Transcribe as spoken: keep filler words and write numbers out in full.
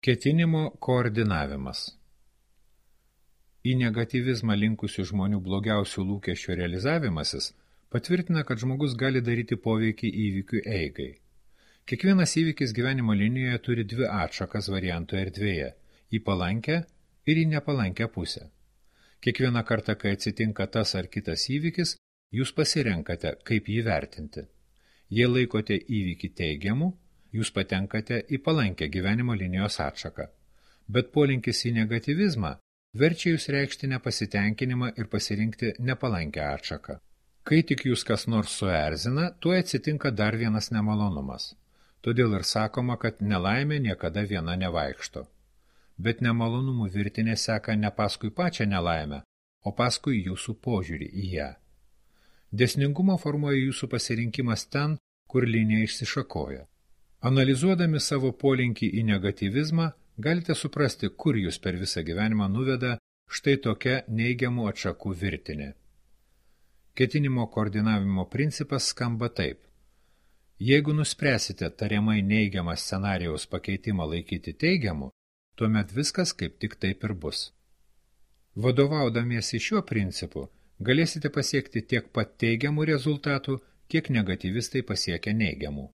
Ketinimo koordinavimas. Į negatyvizmą linkusių žmonių blogiausių lūkesčių realizavimasis patvirtina, kad žmogus gali daryti poveikį įvykių eigai. Kiekvienas įvykis gyvenimo linijoje turi dvi atšakas variantų erdvėje – į palankę ir į nepalankę pusę. Kiekvieną kartą, kai atsitinka tas ar kitas įvykis, jūs pasirenkate, kaip jį vertinti. Jei laikote įvykį teigiamu, jūs patenkate į palankę gyvenimo linijos atšaką. Bet polinkis į negatyvizmą verčia jūs reikšti nepasitenkinimą ir pasirinkti nepalankę atšaką. Kai tik jūs kas nors suerzina, tuo atsitinka dar vienas nemalonumas. Todėl ir sakoma, kad nelaimė niekada viena nevaikšto. Bet nemalonumų virtinė seka ne paskui pačią nelaimę, o paskui jūsų požiūrį į ją. Dėsningumą formuoja jūsų pasirinkimas ten, kur linija išsišakoja. Analizuodami savo polinkį į negatyvizmą, galite suprasti, kur jūs per visą gyvenimą nuveda štai tokia neigiamų atšakų virtinė. Ketinimo koordinavimo principas skamba taip. Jeigu nuspręsite tariamai neigiamą scenarijaus pakeitimą laikyti teigiamu, tuomet viskas kaip tik taip ir bus. Vadovaudamiesi šiuo principu, galėsite pasiekti tiek pat teigiamų rezultatų, kiek negatyvistai pasiekia neigiamų.